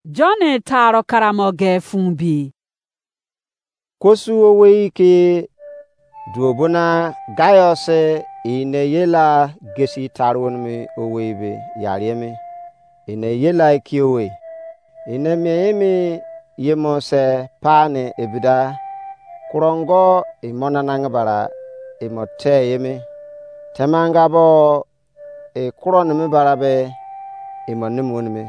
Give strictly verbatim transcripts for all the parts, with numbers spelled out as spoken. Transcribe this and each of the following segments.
John taro karamo ge fun bi. Kosu owei ke duobona Gaius ine ye la gesi taro nimi owei be yariemi. Ine ye la ikiowe. Ine mie emi yemo se pa ne ebida. Kurongo imo nanange bara imo te yemi. Temanga bo e kuro nimi bara be imo nimi wonimi.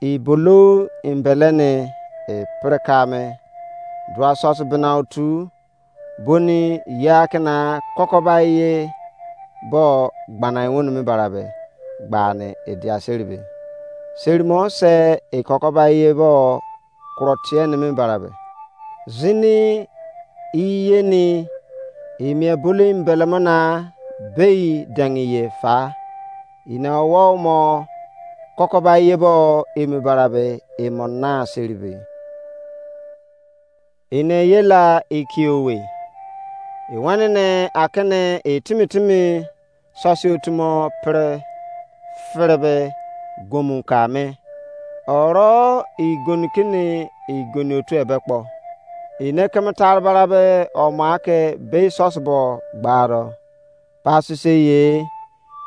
I bolo imbele ni e pirika me. Dua sosi bina otu boni ye akina kokoba ye bo gbana wonimi bara be gbani e dia seri be. Seri mo se e kokoba ye bo kuro tie nimi bara be. Zini iyeni imie bulu imbelemo na bei dengi ye fa. Ine owo mo kokoba ye bo emi bara be emo na seri be. Ine ye la ikiowe. Iwenene akene etimi timi sosi otumo pere fere be gomu ka me. Oro igoni kini igoni otu ebe kpo. Ine keme tare bara be omo ake bei sosi bo gbaro. Pasise ye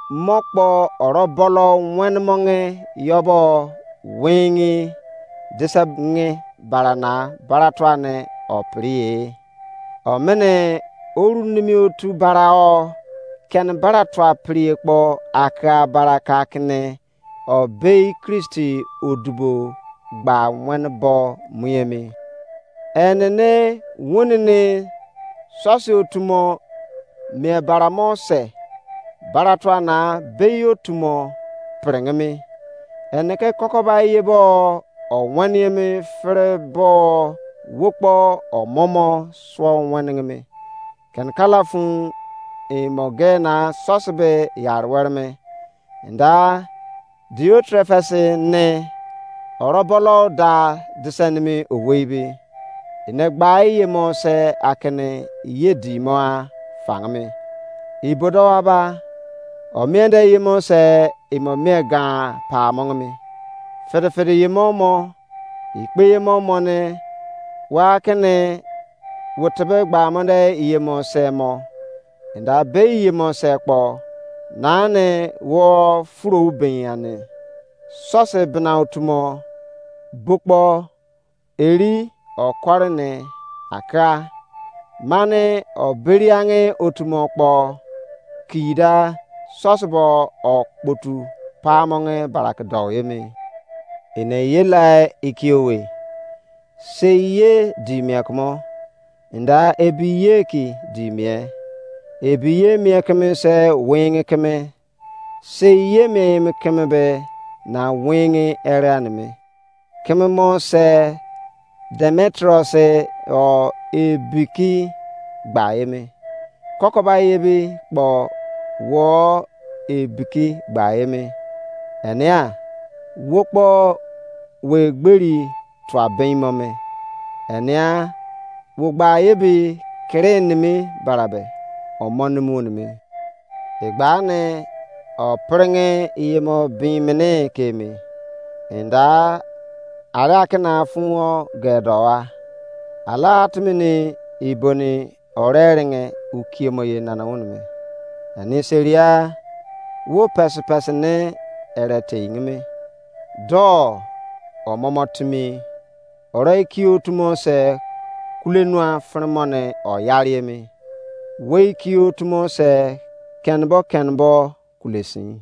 mo kpo oro bolo wen monge yobo wingi dise ngi bara na bara tuane opiri ye. Omene oru nimi otu bara o keni bara tua piri ekpo aka bara ka kini o bei Kristi odubo gba wen bo mu emi. Enene wonini sosi otumo mie bara mo se bara tua na bei otumo piringimi. Ene ke kokoba ye bo o wen emi fere bo wo kpo omomo suo weningimi. Keni kala fun imo ge na sosi be yari were me. Nda Diotrefes ne orobolo da disenimi owei be. Ene gba iye mo se akene ye di mo a fangimi. Ibodo aba o mie de ye mo se imo mie gan pa mongimi. Fede fede ye mo mo ikpe ye mo mo ne wa kene wo tebe gba mo de iye mo se mo. Enda be iye mo se kpo nane wo furo ben ane. Sose bena otumo bokpo eri okore ne aka mane oberiange otumo kpo kida sose bo okpotu pamonge barake dou emi. Ene ye lai ikiowe. Sei ye di mie kumo. Nda ebi ye ki di mie. Ebi ye mie keme se winge keme. Sei ye mie emi keme be na winge ere aneme. Keme mo se Demetrius o ebiki gba emi. Kokoba ye bi kpo wo ebiki gba emi. Enia wo kpo we gberi tua ben mo me. Enia wo gba ye bi kere nimi barabe omo nimi wonimi. Egba ne o pringe iyemo bin mene kemi. Enda ara kena fun o gedowa. Ala atimini iboni ore ringe ukiemo ye nana wunimi. Ani seria wo pesi pesi ne ere teingimi. Do omomo timi. Ore iki otumo se kule nua fremo ne oyariemi. Wo iki otumo se kenbo kenbo kule sin.